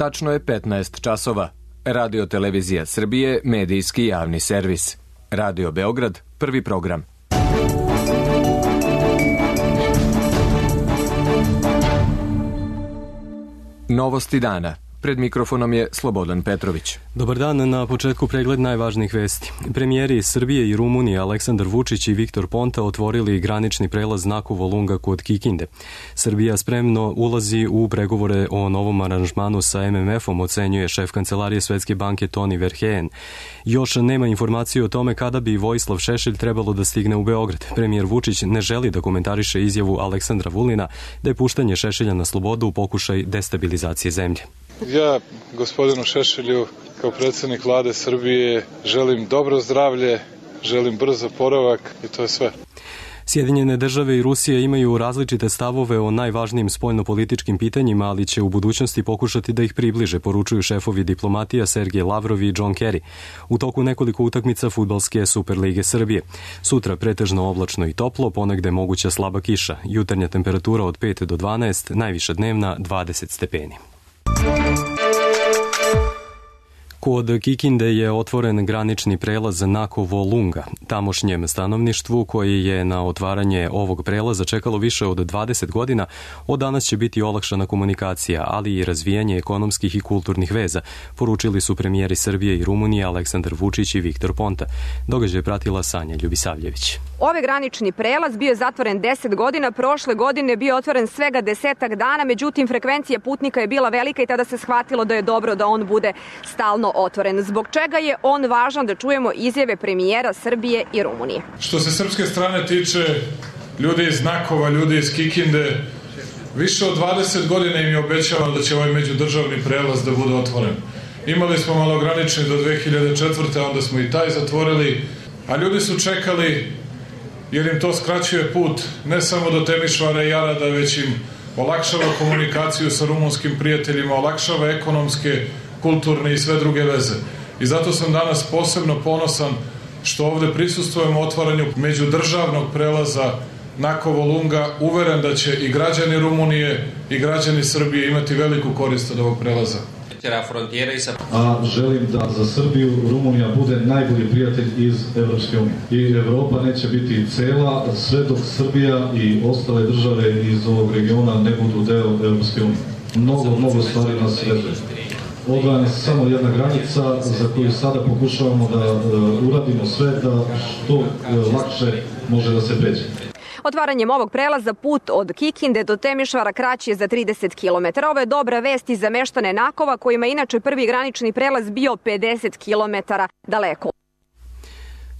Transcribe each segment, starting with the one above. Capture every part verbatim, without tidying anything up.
Tačno je petnaest časova. Radio Televizija Srbije, medijski javni servis. Radio Beograd, prvi program. Novosti dana. Pred mikrofonom je Slobodan Petrović. Dobar dan, na početku pregled najvažnijih vesti. Premijeri Srbije i Rumunije Aleksandar Vučić i Viktor Ponta otvorili granični prelaz Nakovo Lunga kod Kikinde. Srbija spremno ulazi u pregovore o novom aranžmanu sa em em efom, ocenjuje šef kancelarije Svetske banke Toni Verheyen. Još nema informacije o tome kada bi Vojislav Šešelj trebalo da stigne u Beograd. Premijer Vučić ne želi da komentariše izjavu Aleksandra Vulina da je puštanje Šešelja na slobodu u pokušaj destabilizacije zemlje. Ja, gospodinu Šešelju, kao predsjednik vlade Srbije, želim dobro zdravlje, želim brz oporavak i to je sve. Sjedinjene države i Rusija imaju različite stavove o najvažnijim spoljnopolitičkim pitanjima, ali će u budućnosti pokušati da ih približe, poručuju šefovi diplomatija Sergej Lavrov i John Kerry u toku nekoliko utakmica fudbalske Superlige Srbije. Sutra pretežno oblačno i toplo, ponegde moguća slaba kiša. Jutarnja temperatura od pet do dvanaest, najviša dnevna dvadeset stepeni. Kod Kikinde je otvoren granični prelaz Nakovo Lunga. Tamošnjem stanovništvu koji je na otvaranje ovog prelaza čekalo više od dvadeset godina, od danas će biti olakšana komunikacija, ali i razvijanje ekonomskih i kulturnih veza, poručili su premijeri Srbije i Rumunije Aleksandar Vučić i Viktor Ponta. Događaj je pratila Sanja Ljubisavljević. Ovaj granični prelaz bio je zatvoren deset godina, prošle godine bio otvoren svega desetak dana, međutim frekvencija putnika je bila velika i tada se shvatilo da je dobro da on bude stalno otvoren. Zbog čega je on važan, da čujemo izjave premijera Srbije i Rumunije. Što se srpske strane tiče, ljudi iz Nakova, ljudi iz Kikinde, više od dvadeset godina im je obećavano da će ovaj međudržavni prelaz da bude otvoren. Imali smo malogranični do dve hiljade četvrte. onda smo i taj zatvorili, a ljudi su čekali jer im to skraćuje put ne samo do Temišvara i Arada, već im olakšava komunikaciju sa rumunskim prijateljima, olakšava ekonomske, kulturne i sve druge veze. I zato sam danas posebno ponosan što ovde prisustvujemo otvaranju međudržavnog prelaza Nakovo Lunga, uveren da će i građani Rumunije i građani Srbije imati veliku korist od ovog prelaza. A želim da za Srbiju Rumunija bude najbolji prijatelj iz Evropske unije. I Evropa neće biti cela sve dok Srbija i ostale države iz ovog regiona ne budu deo Evropske unije. Mnogo, mnogo stvari nas vezuje. Odvajana je samo jedna granica za koju sada pokušavamo da uh, uradimo sve da što uh, lakše može da se pređe. Otvaranjem ovog prelaza put od Kikinde do Temišvara kraći je za trideset kilometara. Ovo je dobra vest i za meštane Nakova, kojima inače prvi granični prelaz bio pedeset kilometara daleko.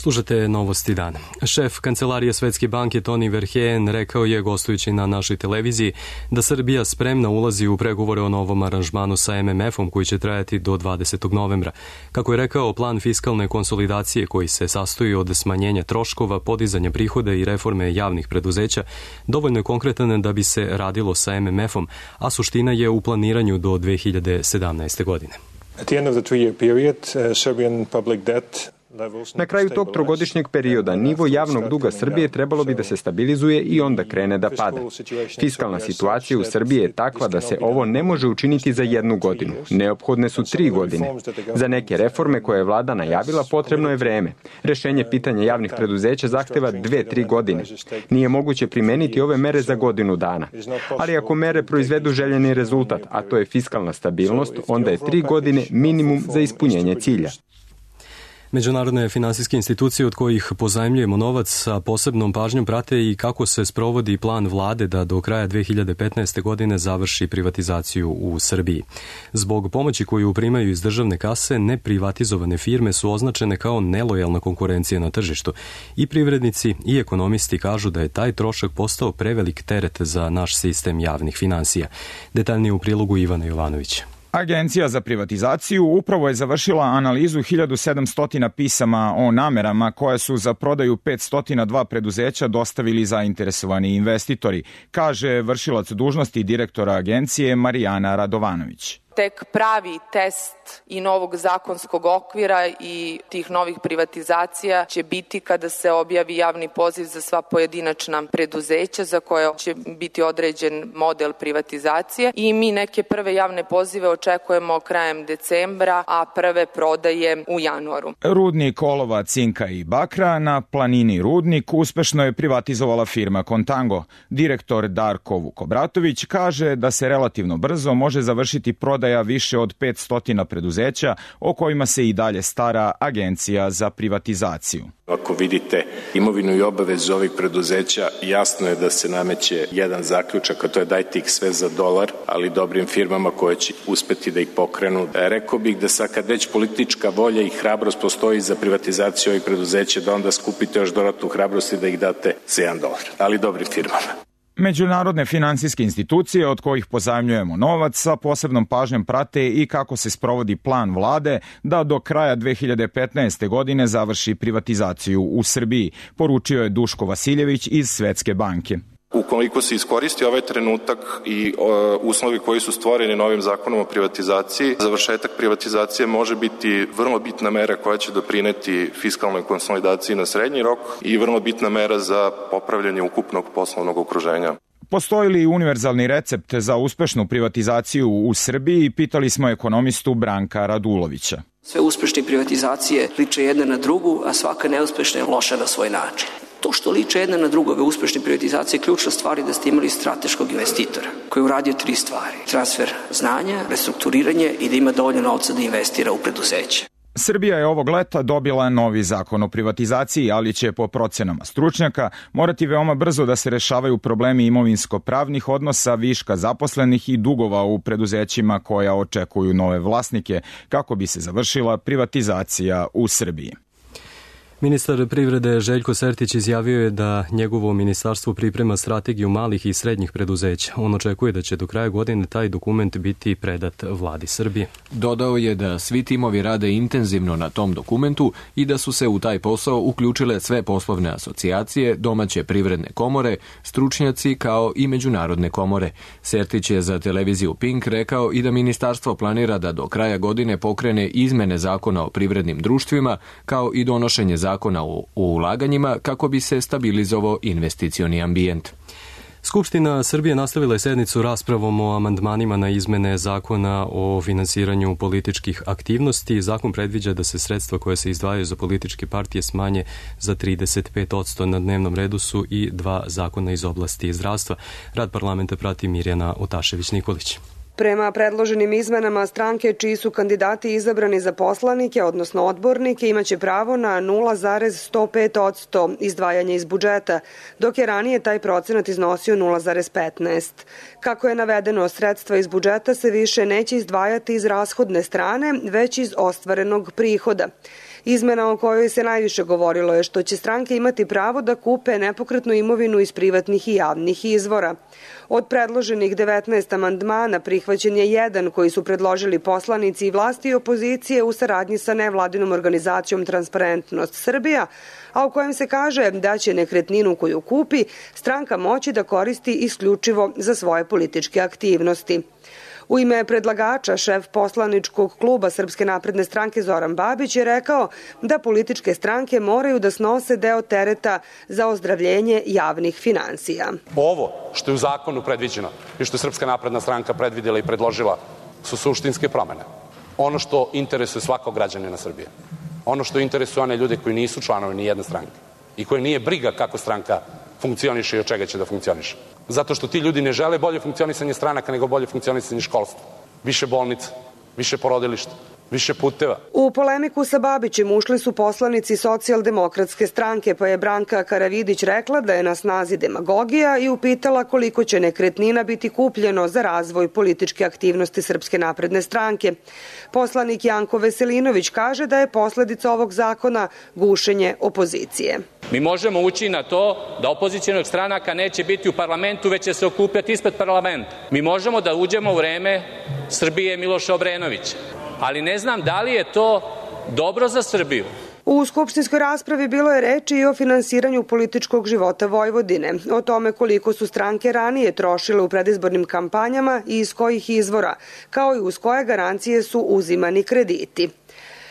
Slušate novosti dana. Šef kancelarije Svetske banke Toni Verheyen rekao je, gostujući na našoj televiziji, da Srbija spremna ulazi u pregovore o novom aranžmanu sa em em efom koji će trajati do dvadesetog novembra. Kako je rekao, plan fiskalne konsolidacije koji se sastoji od smanjenja troškova, podizanja prihoda i reforme javnih preduzeća dovoljno je konkretan da bi se radilo sa em em efom, a suština je u planiranju do dve hiljade sedamnaeste. godine. At the end of the three-year period, uh, Serbian public debt Na kraju tog trogodišnjeg perioda nivo javnog duga Srbije trebalo bi da se stabilizuje i onda krene da pada. Fiskalna situacija u Srbiji je takva da se ovo ne može učiniti za jednu godinu. Neophodne su tri godine. Za neke reforme koje je vlada najavila potrebno je vreme. Rešenje pitanja javnih preduzeća zahteva dve, tri godine. Nije moguće primeniti ove mere za godinu dana. Ali ako mere proizvedu željeni rezultat, a to je fiskalna stabilnost, onda je tri godine minimum za ispunjenje cilja. Međunarodne finansijske institucije od kojih pozajmljujemo novac sa posebnom pažnjom prate i kako se sprovodi plan vlade da do kraja dve hiljade petnaeste. godine završi privatizaciju u Srbiji. Zbog pomoći koju primaju iz državne kase, neprivatizovane firme su označene kao nelojalna konkurencija na tržištu. I privrednici i ekonomisti kažu da je taj trošak postao prevelik teret za naš sistem javnih finansija. Detaljnije u prilogu Ivana Jovanovića. Agencija za privatizaciju upravo je završila analizu hiljadu sedamsto pisama o namerama koje su za prodaju petsto dva preduzeća dostavili zainteresovani investitori, kaže vršilac dužnosti direktora agencije Marijana Radovanović. tek pravi test i novog zakonskog okvira i tih novih privatizacija će biti kada se objavi javni poziv za sva pojedinačna preduzeća za koje će biti određen model privatizacije i mi neke prve javne pozive očekujemo krajem decembra, a prve prodaje u januaru. Rudnik olova, cinka i bakra na planini Rudnik uspešno je privatizovala firma Contango. Direktor Darko Vukobratović kaže da se relativno brzo može završiti prodaja više od petsto preduzeća o kojima se i dalje stara Agencija za privatizaciju. Ako vidite imovinu i obavezu ovih preduzeća, jasno je da se nameće jedan zaključak, a to je dajte ih sve za dolar, ali dobrim firmama koje će uspeti da ih pokrenu. Rekao bih da sad kad već politička volja i hrabrost postoji za privatizaciju ovih preduzeća, da onda skupite još dodatnu hrabrost i da ih date za jedan dolar, ali dobrim firmama. Međunarodne finansijske institucije od kojih pozajmljujemo novac sa posebnom pažnjom prate i kako se sprovodi plan vlade da do kraja dve hiljade petnaeste. godine završi privatizaciju u Srbiji, poručio je Duško Vasiljević iz Svetske banke. Ukoliko se iskoristi ovaj trenutak i o, uslovi koji su stvoreni novim zakonom o privatizaciji, završetak privatizacije može biti vrlo bitna mera koja će doprineti fiskalnoj konsolidaciji na srednji rok i vrlo bitna mera za popravljanje ukupnog poslovnog okruženja. Postoji li univerzalni recept za uspešnu privatizaciju u Srbiji? Pitali smo ekonomistu Branka Radulovića. Sve uspešne privatizacije liče jedna na drugu, a svaka neuspešna je loša na svoj način. To što liče jedna na drugu, ove uspešne privatizacije, ključna stvar je da ste imali strateškog investitora koji je uradio tri stvari. Transfer znanja, restrukturiranje i da ima dovoljno novca da investira u preduzeće. Srbija je ovog leta dobila novi zakon o privatizaciji, ali će po procenama stručnjaka morati veoma brzo da se rešavaju problemi imovinsko-pravnih odnosa, viška zaposlenih i dugova u preduzećima koja očekuju nove vlasnike kako bi se završila privatizacija u Srbiji. Ministar privrede Željko Sertić izjavio je da njegovo ministarstvo priprema strategiju malih i srednjih preduzeća. On očekuje da će do kraja godine taj dokument biti predat vladi Srbije. Dodao je da svi timovi rade intenzivno na tom dokumentu i da su se u taj posao uključile sve poslovne asocijacije, domaće privredne komore, stručnjaci kao i međunarodne komore. Sertić je za televiziju Pink rekao i da ministarstvo planira da do kraja godine pokrene izmene zakona o privrednim društvima kao i donošenje zakona zakona o ulaganjima kako bi se stabilizovao investicioni ambijent. Skupština Srbije nastavila je sednicu raspravom o amandmanima na izmene zakona o finansiranju političkih aktivnosti. Zakon predviđa da se sredstva koja se izdvajaju za političke partije smanje za trideset pet posto. Na dnevnom redu su i dva zakona iz oblasti zdravstva. Rad parlamenta prati Mirjana Otašević-Nikolić. Prema predloženim izmenama, stranke čiji su kandidati izabrani za poslanike, odnosno odbornike, imaće pravo na nula zarez sto pet posto izdvajanja iz budžeta, dok je ranije taj procenat iznosio nula zarez petnaest. Kako je navedeno, sredstva iz budžeta se više neće izdvajati iz rashodne strane, već iz ostvarenog prihoda. Izmena o kojoj se najviše govorilo je što će stranke imati pravo da kupe nepokretnu imovinu iz privatnih i javnih izvora. Od predloženih devetnaest amandmana prihvaćen je jedan koji su predložili poslanici i vlasti i opozicije u saradnji sa nevladinom organizacijom Transparentnost Srbija, a u kojem se kaže da će nekretninu koju kupi stranka moći da koristi isključivo za svoje političke aktivnosti. U ime predlagača, šef poslaničkog kluba Srpske napredne stranke Zoran Babić je rekao da političke stranke moraju da snose deo tereta za ozdravljenje javnih finansija. Ovo što je u zakonu predviđeno i što je Srpska napredna stranka predvidela i predložila su suštinske promene. Ono što interesuje svakog građanina Srbije. Ono što interesuje one ljude koji nisu članovi ni jedne stranke i koje nije briga kako stranka funkcioniše i od čega će da funkcioniše. Zato što ti ljudi ne žele bolje funkcionisanje stranaka, nego bolje funkcionisanje školstva. Više bolnica, više porodilišta, više puteva. U polemiku sa Babićem ušli su poslanici Socijaldemokratske stranke, pa je Branka Karavidić rekla da je na snazi demagogija i upitala koliko će nekretnina biti kupljeno za razvoj političke aktivnosti Srpske napredne stranke. Poslanik Janko Veselinović kaže da je posledica ovog zakona gušenje opozicije. Mi možemo ući na to da opozicionih stranaka neće biti u parlamentu, već će se okupljati ispred parlamenta. Mi možemo da uđemo u vreme Srbije Miloša Obrenovića, ali ne znam da li je to dobro za Srbiju. U skupštinskoj raspravi bilo je reči i o finansiranju političkog života Vojvodine, o tome koliko su stranke ranije trošile u predizbornim kampanjama i iz kojih izvora, kao i uz koje garancije su uzimani krediti.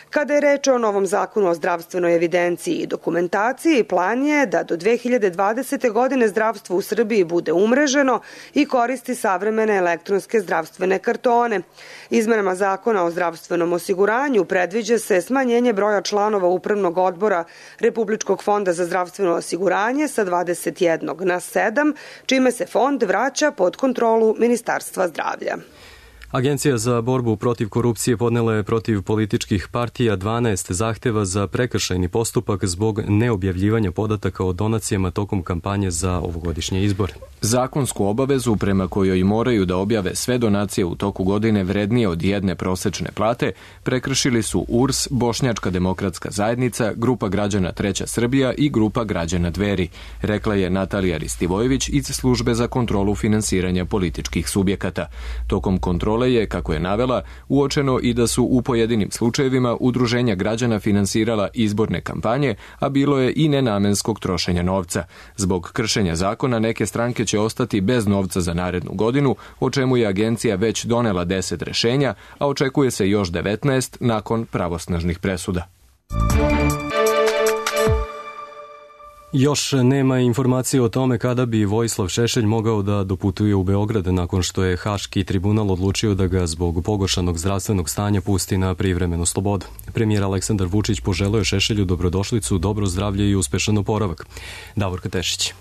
Kada je reč o novom zakonu o zdravstvenoj evidenciji i dokumentaciji, plan je da do dve hiljade dvadesete. godine zdravstvo u Srbiji bude umreženo i koristi savremene elektronske zdravstvene kartone. Izmenama zakona o zdravstvenom osiguranju predviđa se smanjenje broja članova upravnog odbora Republičkog fonda za zdravstveno osiguranje sa dvadeset jednog na sedam, čime se fond vraća pod kontrolu Ministarstva zdravlja. Agencija za borbu protiv korupcije podnela je protiv političkih partija dvanaest zahteva za prekršajni postupak zbog neobjavljivanja podataka o donacijama tokom kampanje za ovogodišnje izbore. Zakonsku obavezu prema kojoj moraju da objave sve donacije u toku godine vrednije od jedne prosečne plate prekršili su U R S, Bošnjačka demokratska zajednica, Grupa građana Treća Srbija i Grupa građana Dveri, rekla je Natalija Ristivojević iz Službe za kontrolu finansiranja političkih subjekata. Tokom kontrole je, kako je navela, uočeno i da su u pojedinim slučajevima udruženja građana finansirala izborne kampanje, a bilo je i nenamenskog trošenja novca. Zbog kršenja zakona neke stranke će ostati bez novca za narednu godinu, o čemu je agencija već donela deset rešenja, a očekuje se još devetnaest nakon pravosnažnih presuda. Još nema informacije o tome kada bi Vojislav Šešelj mogao da doputuje u Beograd nakon što je Haški tribunal odlučio da ga zbog pogoršanog zdravstvenog stanja pusti na privremenu slobodu. Premijer Aleksandar Vučić poželeo je Šešelju dobrodošlicu, dobro zdravlje i uspešan oporavak. Davorka Tešić.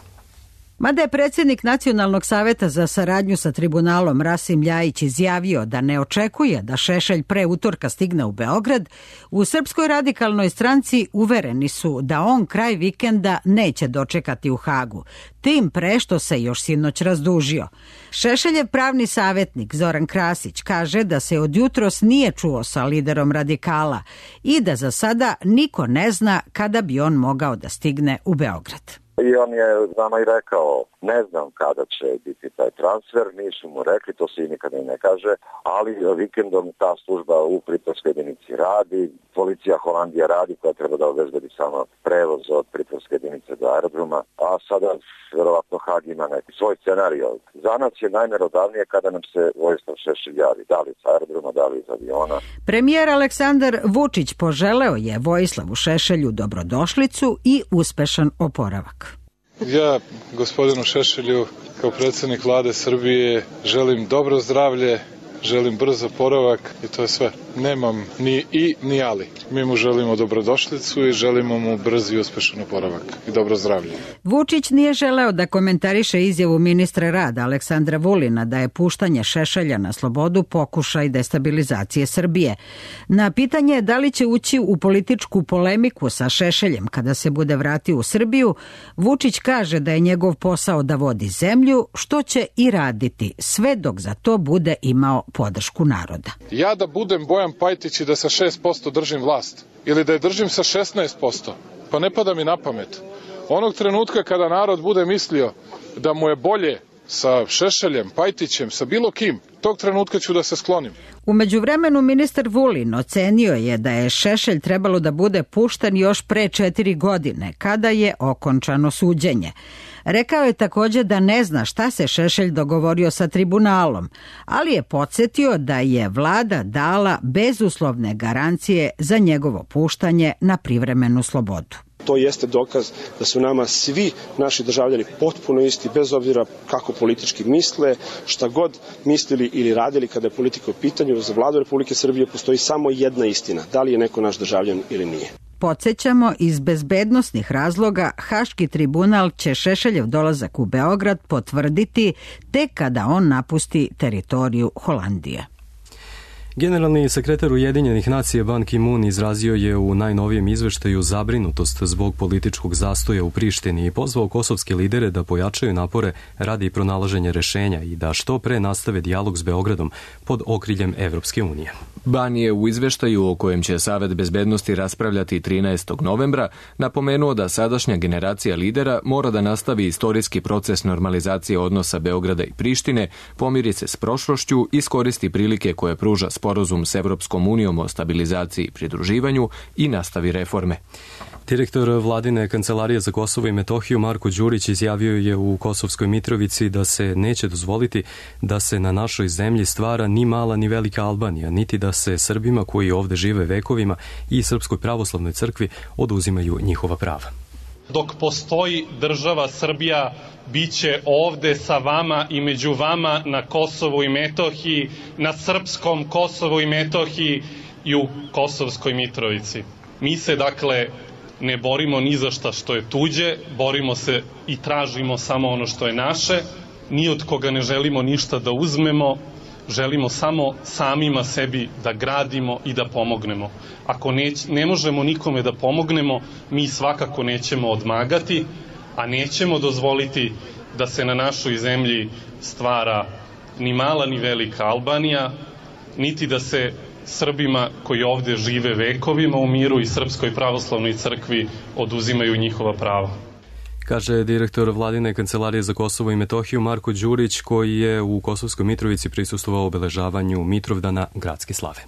Mada je predsjednik Nacionalnog saveta za saradnju sa tribunalom Rasim Ljajić izjavio da ne očekuje da Šešelj pre utorka stigne u Beograd, u Srpskoj radikalnoj stranci uvereni su da on kraj vikenda neće dočekati u Hagu, tim pre što se još sinoć razdužio. Šešeljev pravni savjetnik Zoran Krasić kaže da se od jutros nije čuo sa liderom radikala i da za sada niko ne zna kada bi on mogao da stigne u Beograd. I on je nama i rekao, ne znam kada će biti taj transfer, nisu mu rekli, to se i nikada i ne kaže, ali vikendom ta služba u pritvorskoj jedinici radi, policija Holandija radi koja treba da obezbedi samo prevoz od pritvorske jedinice do aerodroma, a sada verovatno Hag ima neki svoj scenario. Za nas je najmerodavnije kada nam se Vojislav Šešelj javi, da li iz aerodroma, da li iz aviona. Premijer Aleksandar Vučić poželeo je Vojislavu Šešelju dobrodošlicu i uspešan oporavak. Ja, gospodinu Šešelju, kao predsjednik vlade Srbije, želim dobro zdravlje, želim brz oporavak i to je sve. Nemam ni i ni ali. Mi mu želimo dobrodošlicu i želimo mu brz i uspešan oporavak i dobro zdravlje. Vučić nije želeo da komentariše izjavu ministra rada Aleksandra Vulina da je puštanje Šešelja na slobodu pokušaj destabilizacije Srbije. Na pitanje da li će ući u političku polemiku sa Šešeljem kada se bude vratio u Srbiju, Vučić kaže da je njegov posao da vodi zemlju, što će i raditi, sve dok za to bude imao podršku naroda. Ja da budem Bojan Pajtić i da sa šest posto držim vlast, ili da je držim sa šesnaest posto, pa ne pada mi na pamet. Onog trenutka kada narod bude mislio da mu je bolje sa Šešeljem, Pajtićem, sa bilo kim, tog trenutka ću da se sklonim. U međuvremenu ministar Vulin ocenio je da je Šešelj trebalo da bude pušten još pre četiri godine, kada je okončano suđenje. Rekao je također da ne zna šta se Šešelj dogovorio sa tribunalom, ali je podsjetio da je vlada dala bezuslovne garancije za njegovo puštanje na privremenu slobodu. To jeste dokaz da su nama svi naši državljani potpuno isti, bez obzira kako politički misle, šta god mislili ili radili kada je politika u pitanju. Za vladu Republike Srbije postoji samo jedna istina, da li je neko naš državljan ili nije. Podsjećamo, iz bezbednosnih razloga Haški tribunal će Šešeljev dolazak u Beograd potvrditi tek kada on napusti teritoriju Holandije. Generalni sekretar Ujedinjenih nacija Ban Ki-moon izrazio je u najnovijem izveštaju zabrinutost zbog političkog zastoja u Prištini i pozvao kosovske lidere da pojačaju napore radi pronalaženja rešenja i da što pre nastave dijalog s Beogradom pod okriljem Evropske unije. Ban je u izveštaju o kojem će Savet bezbednosti raspravljati trinaestog novembra napomenuo da sadašnja generacija lidera mora da nastavi istorijski proces normalizacije odnosa Beograda i Prištine, pomiri se s prošlošću, iskoristi prilike koje pruža sporazum sporazum s Evropskom unijom o stabilizaciji i pridruživanju i nastavi reforme. Direktor vladine kancelarije za Kosovo i Metohiju Marko Đurić izjavio je u Kosovskoj Mitrovici da se neće dozvoliti da se na našoj zemlji stvara ni mala ni velika Albanija, niti da se Srbima koji ovde žive vekovima i Srpskoj pravoslavnoj crkvi oduzimaju njihova prava. Dok postoji država Srbija, bit će ovde sa vama i među vama na Kosovu i Metohiji, na srpskom Kosovu i Metohiji i u Kosovskoj Mitrovici. Mi se, dakle, ne borimo ni za šta što je tuđe, borimo se i tražimo samo ono što je naše, ni od koga ne želimo ništa da uzmemo, želimo samo samima sebi da gradimo i da pomognemo. Ako ne, ne možemo nikome da pomognemo, mi svakako nećemo odmagati, a nećemo dozvoliti da se na našoj zemlji stvara ni mala ni velika Albanija, niti da se Srbima koji ovde žive vekovima u miru i Srpskoj pravoslavnoj crkvi oduzimaju njihova prava. Kaže direktor vladine kancelarije za Kosovo i Metohiju Marko Đurić, koji je u Kosovskoj Mitrovici prisustvovao obeležavanju Mitrovdana gradske slave.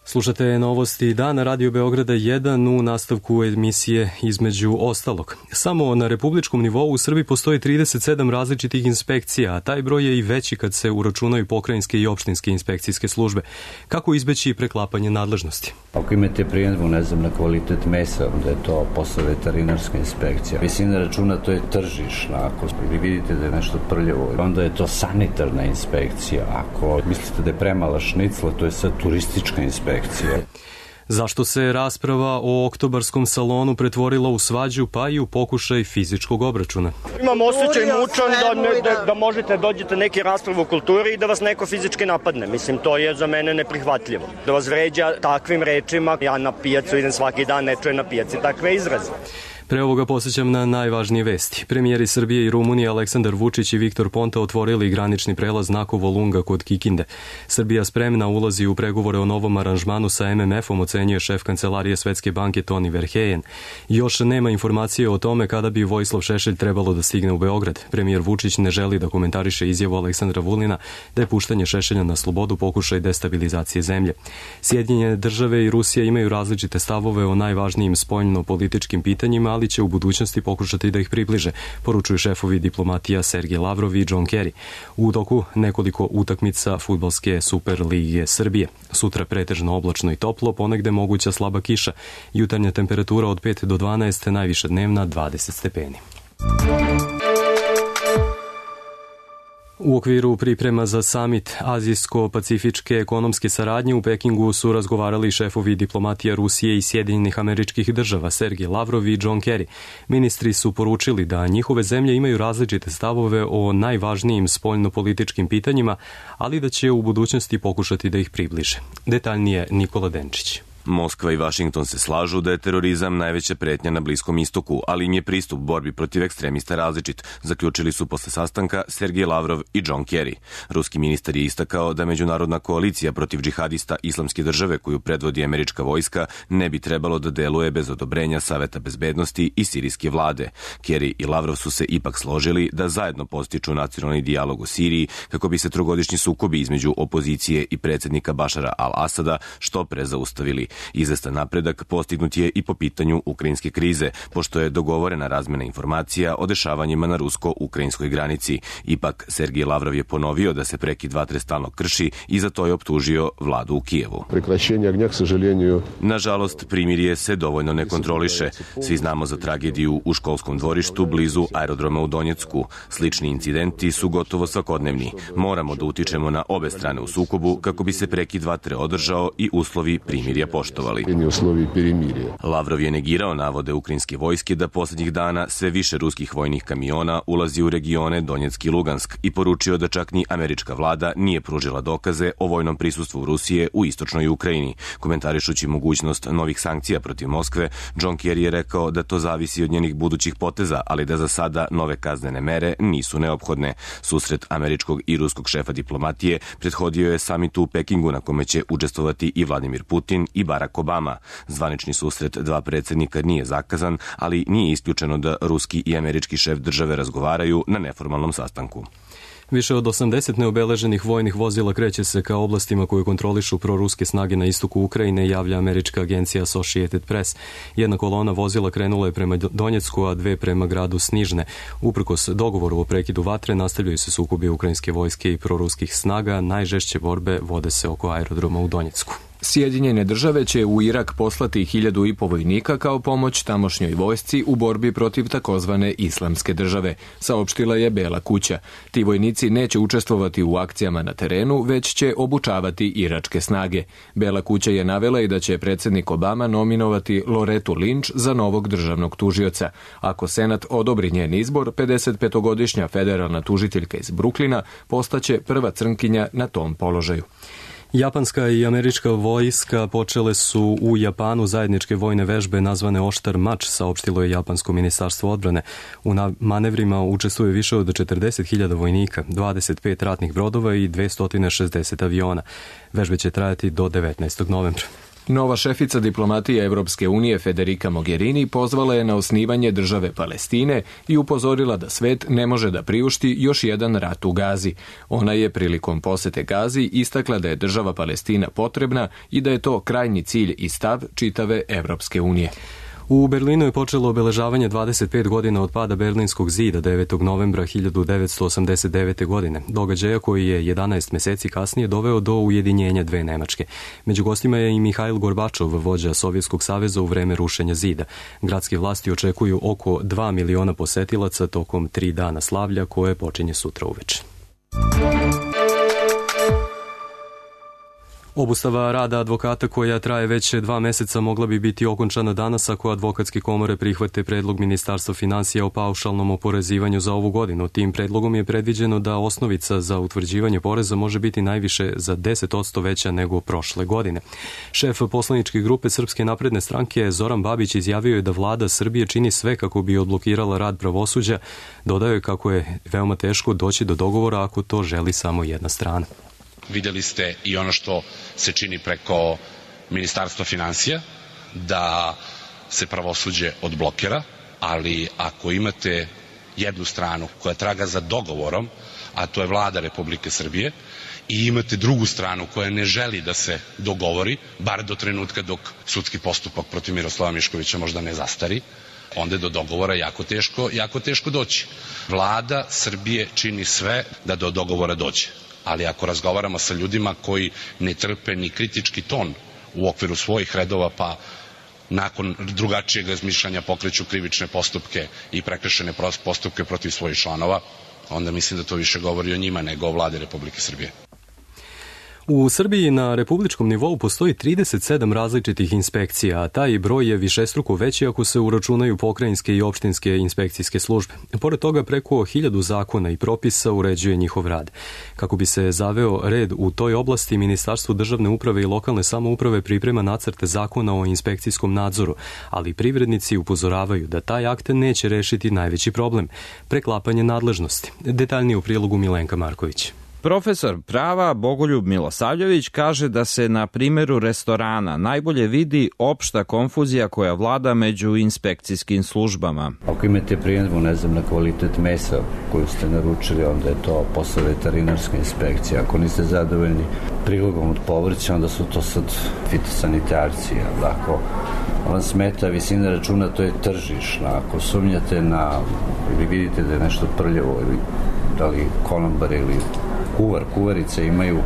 Slušate novosti dana Radio Beograda jedan u nastavku emisije Između ostalog. Samo na republičkom nivou u Srbiji postoji trideset sedam različitih inspekcija, a taj broj je i veći kad se uračunaju pokrajinske i opštinske inspekcijske službe. Kako izbeći preklapanje nadležnosti? Ako imate primjedbu, ne znam, na kvalitet mesa, onda je to posao veterinarska inspekcija. Visina računa, to je tržišna. Ako vi vidite da je nešto prljavo, onda je to sanitarna inspekcija. Ako mislite da je premala šnicla, to je sad turistička inspekcija. Zašto se rasprava o oktobarskom salonu pretvorila u svađu, pa i u pokušaj fizičkog obračuna? Imam osjećaj mučan da, ne, da, da možete dođete neke rasprave u kulturi i da vas neko fizički napadne. Mislim, to je za mene neprihvatljivo. Da vas vređa takvim rečima, ja na pijacu idem svaki dan, ne čujem na pijaci takve izraze. Pre ovoga posjećam na najvažnije vesti. Premijeri Srbije i Rumunije Aleksandar Vučić i Viktor Ponta otvorili granični prelaz Nakovo Lunga kod Kikinde. Srbija spremna ulazi u pregovore o novom aranžmanu sa M M F-om, ocenjuje šef kancelarije Svetske banke Toni Verheyen. Još nema informacije o tome kada bi Vojislav Šešelj trebalo da stigne u Beograd. Premijer Vučić ne želi da komentariše izjavu Aleksandra Vulina da je puštanje Šešelja na slobodu pokušaj destabilizacije zemlje. Sjedinjene države i Rusija imaju različite stavove o najvažnijim spoljno-političkim pitanjima, ali će u budućnosti pokušati da ih približe, poručuju šefovi diplomatija Sergej Lavrov i John Kerry. U toku nekoliko utakmica fudbalske Super lige Srbije. Sutra pretežno oblačno i toplo, ponegde moguća slaba kiša. Jutarnja temperatura od pet do dvanaest, najviša dnevna dvadeset stepeni. U okviru priprema za samit Azijsko-pacifičke ekonomske saradnje u Pekingu su razgovarali šefovi diplomatija Rusije i Sjedinjenih Američkih Država Sergej Lavrov i John Kerry. Ministri su poručili da njihove zemlje imaju različite stavove o najvažnijim spoljno-političkim pitanjima, ali da će u budućnosti pokušati da ih približe. Detaljnije Nikola Denčić. Moskva i Vašington se slažu da je terorizam najveća pretnja na Bliskom istoku, ali im je pristup borbi protiv ekstremista različit, zaključili su posle sastanka Sergej Lavrov i John Kerry. Ruski ministar je istakao da međunarodna koalicija protiv džihadista Islamske države koju predvodi američka vojska ne bi trebalo da deluje bez odobrenja Saveta bezbednosti i sirijske vlade. Kerry i Lavrov su se ipak složili da zajedno postiču nacionalni dijalog u Siriji kako bi se trogodišnji sukobi između opozicije i predsjednika Bašara al-Asada što pre zaustavili. Izvestan napredak postignut je i po pitanju ukrajinske krize, pošto je dogovorena razmena informacija o dešavanjima na rusko-ukrajinskoj granici. Ipak, Sergej Lavrov je ponovio da se prekid vatre stalno krši i za to je optužio vladu u Kijevu. Nažalost, primirje se dovoljno ne kontroliše. Svi znamo za tragediju u školskom dvorištu blizu aerodroma u Donjecku. Slični incidenti su gotovo svakodnevni. Moramo da utičemo na obe strane u sukobu kako bi se prekid vatre održao i uslovi primirja poštovali. Lavrov je negirao navode ukrajinske vojske da poslednjih dana sve više ruskih vojnih kamiona ulazi u regione Donjeck i Lugansk i poručio da čak ni američka vlada nije pružila dokaze o vojnom prisustvu Rusije u istočnoj Ukrajini. Komentarišući mogućnost novih sankcija protiv Moskve, John Kerry je rekao da to zavisi od njenih budućih poteza, ali da za sada nove kaznene mere nisu neophodne. Susret američkog i ruskog šefa diplomatije prethodio je samitu u Pekingu na kome će učestvovati i Vladimir Putin i Barack Obama. Zvanični susret dva predsjednika nije zakazan, ali nije isključeno da ruski i američki šef države razgovaraju na neformalnom sastanku. Više od osamdeset neobeleženih vojnih vozila kreće se ka oblastima koje kontrolišu proruske snage na istoku Ukrajine, javlja američka agencija Associated Press. Jedna kolona vozila krenula je prema Donjecku, a dve prema gradu Snižne. Uprkos dogovoru o prekidu vatre, nastavljaju se sukobi ukrajinske vojske i proruskih snaga. Najžešće borbe vode se oko aerodroma u Donjecku. Sjedinjene države će u Irak poslati hiljadu i po vojnika kao pomoć tamošnjoj vojsci u borbi protiv takozvane islamske države, saopštila je Bela kuća. Ti vojnici neće učestvovati u akcijama na terenu, već će obučavati iračke snage. Bela kuća je navela i da će predsjednik Obama nominovati Loretu Lynch za novog državnog tužioca. Ako Senat odobri njen izbor, pedesetpetogodišnja federalna tužiteljka iz Bruklina postaće prva crnkinja na tom položaju. Japanska i američka vojska počele su u Japanu zajedničke vojne vežbe nazvane Oštar mač, saopštilo je Japansko ministarstvo odbrane. U manevrima učestvuje više od četrdeset hiljada vojnika, dvadeset pet ratnih brodova i dvesta šezdeset aviona. Vežbe će trajati do devetnaestog novembra. Nova šefica diplomatije Evropske unije Federica Mogherini pozvala je na osnivanje države Palestine i upozorila da svet ne može da priušti još jedan rat u Gazi. Ona je prilikom posete Gazi istakla da je država Palestina potrebna i da je to krajnji cilj i stav čitave Evropske unije. U Berlinu je počelo obeležavanje dvadeset pet godina od pada Berlinskog zida devetog novembra hiljadu devetsto osamdeset devete. godine, događaja koji je jedanaest meseci kasnije doveo do ujedinjenja dve Nemačke. Među gostima je i Mihail Gorbačov, vođa Sovjetskog saveza u vreme rušenja zida. Gradske vlasti očekuju oko dva miliona posetilaca tokom tri dana slavlja koje počinje sutra uveče. Obustava rada advokata koja traje već dva meseca mogla bi biti okončana danas ako advokatske komore prihvate predlog Ministarstva finansija o paušalnom oporezivanju za ovu godinu. Tim predlogom je predviđeno da osnovica za utvrđivanje poreza može biti najviše za deset posto veća nego prošle godine. Šef poslaničke grupe Srpske napredne stranke Zoran Babić izjavio je da vlada Srbije čini sve kako bi odblokirala rad pravosuđa. Dodao je kako je veoma teško doći do dogovora ako to želi samo jedna strana. Vidjeli ste i ono što se čini preko Ministarstva finansija, da se pravosuđe odblokira, ali ako imate jednu stranu koja traga za dogovorom, a to je vlada Republike Srbije, i imate drugu stranu koja ne želi da se dogovori, bar do trenutka dok sudski postupak protiv Miroslava Miškovića možda ne zastari, onda je do dogovora jako teško, jako teško doći. Vlada Srbije čini sve da do dogovora dođe. Ali ako razgovaramo sa ljudima koji ne trpe ni kritički ton u okviru svojih redova, pa nakon drugačijeg razmišljanja pokreću krivične postupke i prekršene postupke protiv svojih članova, onda mislim da to više govori o njima nego o vladi Republike Srbije. U Srbiji na republičkom nivou postoji trideset sedam različitih inspekcija, a taj broj je višestruko veći ako se uračunaju pokrajinske i opštinske inspekcijske službe. Pored toga, preko hiljadu zakona i propisa uređuje njihov rad. Kako bi se zaveo red u toj oblasti, Ministarstvo državne uprave i lokalne samouprave priprema nacrte zakona o inspekcijskom nadzoru, ali privrednici upozoravaju da taj akt neće rešiti najveći problem – preklapanje nadležnosti. Detaljnije u prilogu Milenka Marković. Profesor prava Bogoljub Milosavljević kaže da se na primjeru restorana najbolje vidi opšta konfuzija koja vlada među inspekcijskim službama. Ako imate primjedbu, ne znam, na kvalitet mesa koju ste naručili, onda je to posao veterinarske inspekcije. Ako niste zadovoljni prilogom od povrća, onda su to sad fitosanitarci. Ako vam smeta visina računa, to je tržišna. Ako sumnjate na, ili vidite da je nešto prljavo, ili da li konobar ili kuvar, kuvarice imaju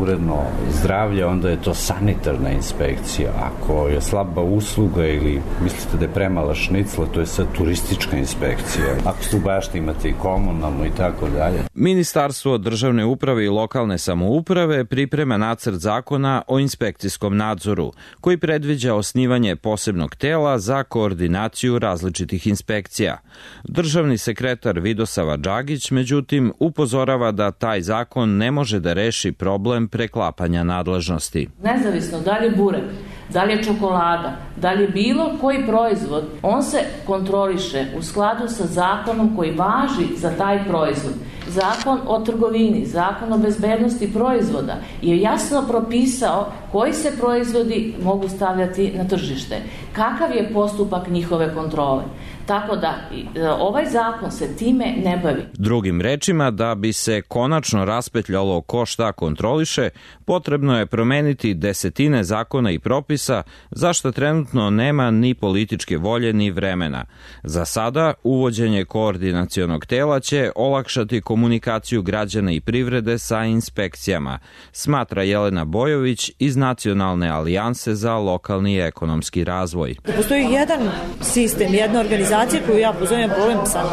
uredno zdravlje, onda je to sanitarna inspekcija. Ako je slaba usluga ili mislite da je premala šnicla, to je sad turistička inspekcija. Ako ste u bašti, imate i komunalno i tako dalje. Ministarstvo državne uprave i lokalne samouprave priprema nacrt zakona o inspekcijskom nadzoru, koji predviđa osnivanje posebnog tela za koordinaciju različitih inspekcija. Državni sekretar Vidosava Džagić, međutim, upozorava da taj zakon ne može da reši problem preklapanja nadležnosti. Nezavisno da li je burek, da li je čokolada, da li je bilo koji proizvod, on se kontroliše u skladu sa zakonom koji važi za taj proizvod. Zakon o trgovini, zakon o bezbednosti proizvoda je jasno propisao koji se proizvodi mogu stavljati na tržište. Kakav je postupak njihove kontrole? Tako da ovaj zakon se time ne bavi. Drugim rečima, da bi se konačno raspetljalo ko šta kontroliše, potrebno je promeniti desetine zakona i propisa, za što trenutno nema ni političke volje ni vremena. Za sada, uvođenje koordinacionog tela će olakšati komunikaciju građana i privrede sa inspekcijama, smatra Jelena Bojović iz Nacionalne alijanse za lokalni i ekonomski razvoj. Postoji jedan sistem, jedna organizacija koju ja pozovem problem sa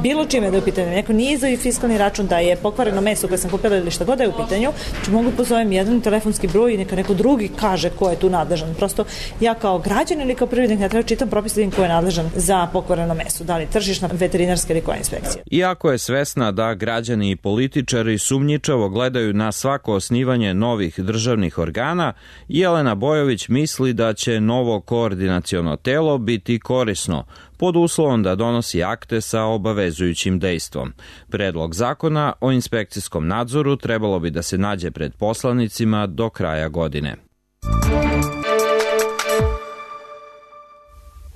bilo čime da je u pitanju. Neko nije izdao fiskalni račun, da je pokvareno meso koje sam kupila ili šta god da je u pitanju, či mogu pozovem jedan telefonski broj i neka neko drugi kaže ko je tu nadležan. Prosto ja kao građan ili kao privrednik ne treba čitam propis da vidim ko je nadležan za pokvareno meso, da li tržišna, veterinarska ili koja inspekcija. Iako je svesna da građani i političari sumnjičavo gledaju na svako osnivanje novih državnih organa, Jelena Bojović misli da će novo koordinaciono telo biti korisno, pod uslovom da donosi akte sa obavezujućim dejstvom. Predlog zakona o inspekcijskom nadzoru trebalo bi da se nađe pred poslanicima do kraja godine.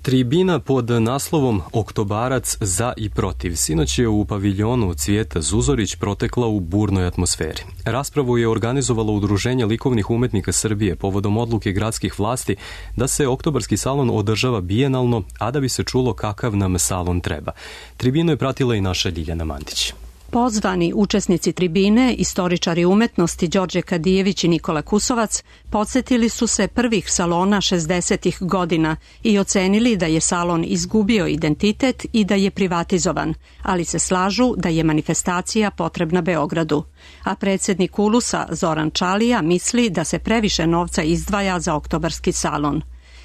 Tribina pod naslovom Oktobarac za i protiv sinoć je u paviljonu Cvijeta Zuzorić protekla u burnoj atmosferi. Raspravu je organizovalo Udruženje likovnih umetnika Srbije povodom odluke gradskih vlasti da se oktobarski salon održava bijenalno, a da bi se čulo kakav nam salon treba. Tribinu je pratila i naša Ljiljana Mandić. Pozvani učesnici tribine, istoričari umetnosti Đorđe Kadijević i Nikola Kusovac, podsjetili su se prvih salona šezdesetih godina i ocenili da je salon izgubio identitet i da je privatizovan, ali se slažu da je manifestacija potrebna Beogradu. A predsjednik Ulusa Zoran Čalija misli da se previše novca izdvaja za oktobarski salon.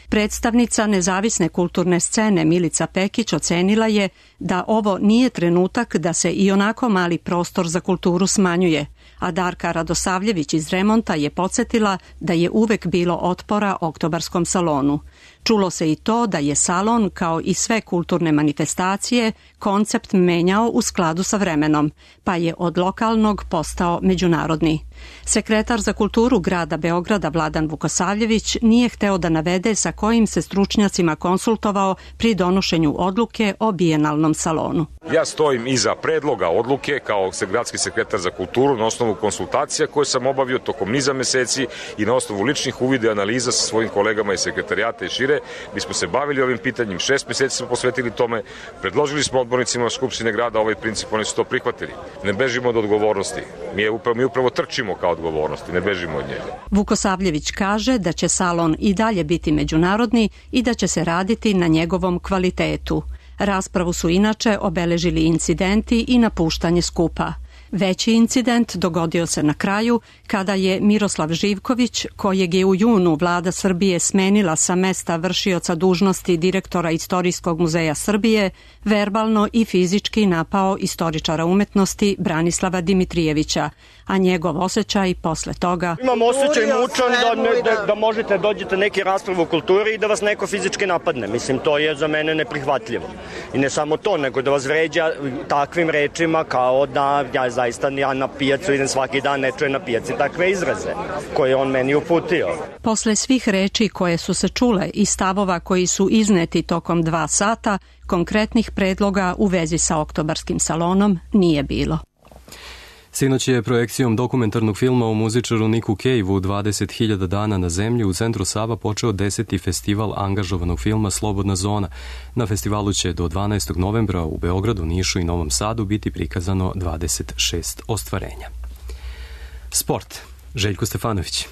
Predstavnica nezavisne kulturne scene Milica Pekić ocenila je da ovo nije trenutak da se i onako mali prostor za kulturu smanjuje, a Darka Radosavljević iz Remonta je podsjetila da je uvek bilo otpora oktobarskom salonu. Čulo se i to da je salon, kao i sve kulturne manifestacije, koncept menjao u skladu sa vremenom, pa je od lokalnog postao međunarodni. Sekretar za kulturu grada Beograda Vladan Vukosavljević nije hteo da navede sa kojim se stručnjacima konsultovao pri donošenju odluke o bijenalnom salonu. Ja stojim iza predloga odluke kao gradski sekretar za kulturu na osnovu konsultacija koje sam obavio tokom niza meseci i na osnovu ličnih uvida i analiza sa svojim kolegama iz sekretarijata i šire. Mi smo se bavili ovim pitanjem, šest meseci smo posvetili tome, predložili smo odbornicima Skupštine grada ovaj princip, oni su to prihvatili. Ne bežimo od odgovornosti, mi, je upravo, mi upravo trčimo kao odgovornosti, ne bežimo od njega. Vukosavljević kaže da će salon i dalje biti međunarodni i da će se raditi na njegovom kvalitetu. Raspravu su inače obeležili incidenti i napuštanje skupa. Veći incident dogodio se na kraju kada je Miroslav Živković, kojeg je u junu vlada Srbije smenila sa mesta vršioca dužnosti direktora Istorijskog muzeja Srbije, verbalno i fizički napao istoričara umetnosti Branislava Dimitrijevića, a njegov osjećaj posle toga... Imam osjećaj mučan da, ne, da, da možete dođete neki rasprav u kulturi i da vas neko fizički napadne. Mislim, to je za mene neprihvatljivo. I ne samo to, nego da vas vređa takvim rečima kao da ja zaista ja na pijacu idem svaki dan, ne čujem na pijaci takve izraze koje on meni uputio. Posle svih reči koje su se čule i stavova koji su izneti tokom dva sata, konkretnih predloga u vezi sa oktobarskim salonom nije bilo. Sinoć je projekcijom dokumentarnog filma o muzičaru Niku Caveu dvadeset hiljada dana na zemlji u centru Sava počeo deseti festival angažovanog filma Slobodna zona. Na festivalu će do dvanaestog novembra u Beogradu, Nišu i Novom Sadu biti prikazano dvadeset šest ostvarenja. Sport. Željko Stefanović.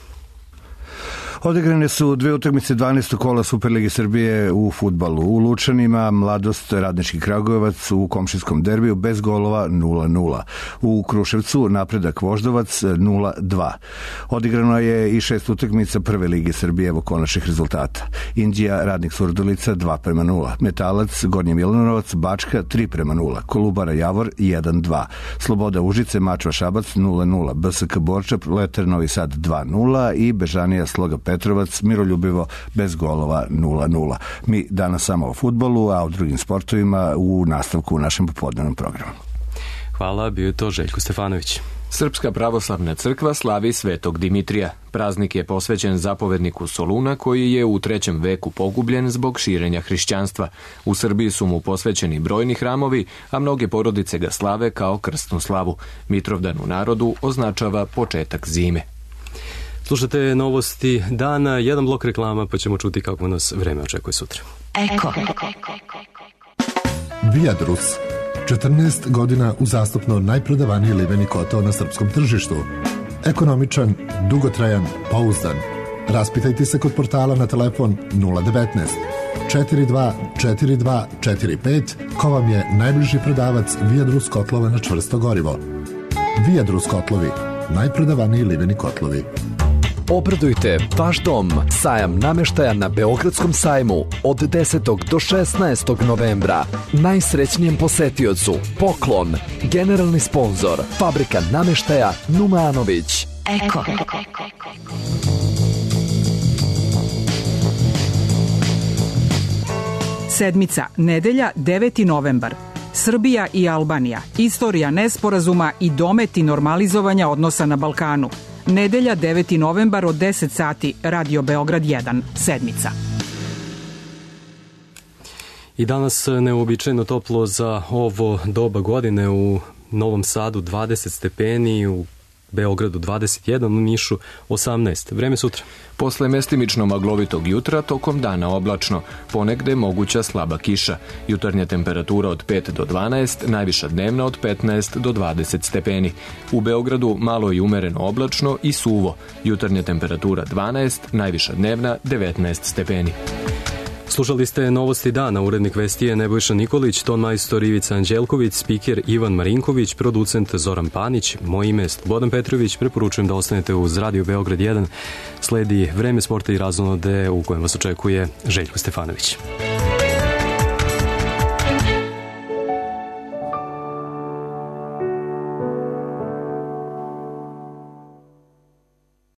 Odigrane su dve utakmice dvanaestog kola Superlige Srbije u fudbalu. U Lučanima Mladost Radnički Kragujevac u komšinskom derbiju bez golova nula nula. U Kruševcu Napredak Voždovac nula dva. Odigrano je i šest utakmica Prve lige Srbije, evo konačnih rezultata. Indija Radnik Surdulica dva prema nula. Metalac Gornji Milanovac Bačka tri prema nula. Kolubara Javor jedan dva. Sloboda Užice Mačva Šabac nula nula. B S K Borča Leter Novi Sad dva nula i Bežanija Sloga Petrovac miroljubivo bez golova nula nula. Mi danas samo o fudbalu, a o drugim sportovima u nastavku u našem popodnevnom programu. Hvala, bio je to Željko Stefanović. Srpska pravoslavna crkva slavi Svetog Dimitrija. Praznik je posvećen zapovedniku Soluna koji je u trećem veku pogubljen zbog širenja hrišćanstva. U Srbiji su mu posvećeni brojni hramovi, a mnoge porodice ga slave kao krstnu slavu. Mitrovdan u narodu označava početak zime. Slušate novosti dana, jedan blok reklama pa ćemo čuti kako nas vreme očekuje sutra. Eko. Viadrus. četrnaest godina uzastopno najprodavaniji liveni kotao na srpskom tržištu. Ekonomičan, dugotrajan, pouzdan. Raspitajte se kod portala na telefon nula devetnaest četiri dva četiri dva četiri pet ko vam je najbliži prodavac Viadrus kotlova na čvrsto gorivo. Viadrus kotlovi, najprodavaniji liveni kotlovi. Obradujte vaš dom. Sajam nameštaja na Beogradskom sajmu od desetog do šesnaestog novembra. Najsrećnijem posetiocu poklon. Generalni sponzor Fabrika nameštaja Numanović. Eko. Sedmica, nedelja, deveti novembar. Srbija i Albanija. Istorija nesporazuma i dometi normalizovanja odnosa na Balkanu. Nedelja, deveti novembar od deset sati, Radio Beograd jedan, sedmica. I danas neuobičajeno toplo za ovo doba godine, u Novom Sadu dvadeset stepeni, u Beogradu dvadeset jedan, u Nišu osamnaest. Vreme sutra. Posle mestimično maglovitog jutra, tokom dana oblačno, ponegde moguća slaba kiša. Jutarnja temperatura od pet do dvanaest, najviša dnevna od petnaest do dvadeset stepeni. U Beogradu malo i umereno oblačno i suvo. Jutarnja temperatura dvanaest, najviša dnevna devetnaest stepeni. Slušali ste novosti dana, urednik vesti je Nebojša Nikolić, ton majstor Ivica Anđelković, spiker Ivan Marinković, producent Zoran Panić, moje ime je Slobodan Petrović, preporučujem da ostanete uz Radio Beograd jedan, sledi vreme sporta i razonode u kojem vas očekuje Željko Stefanović.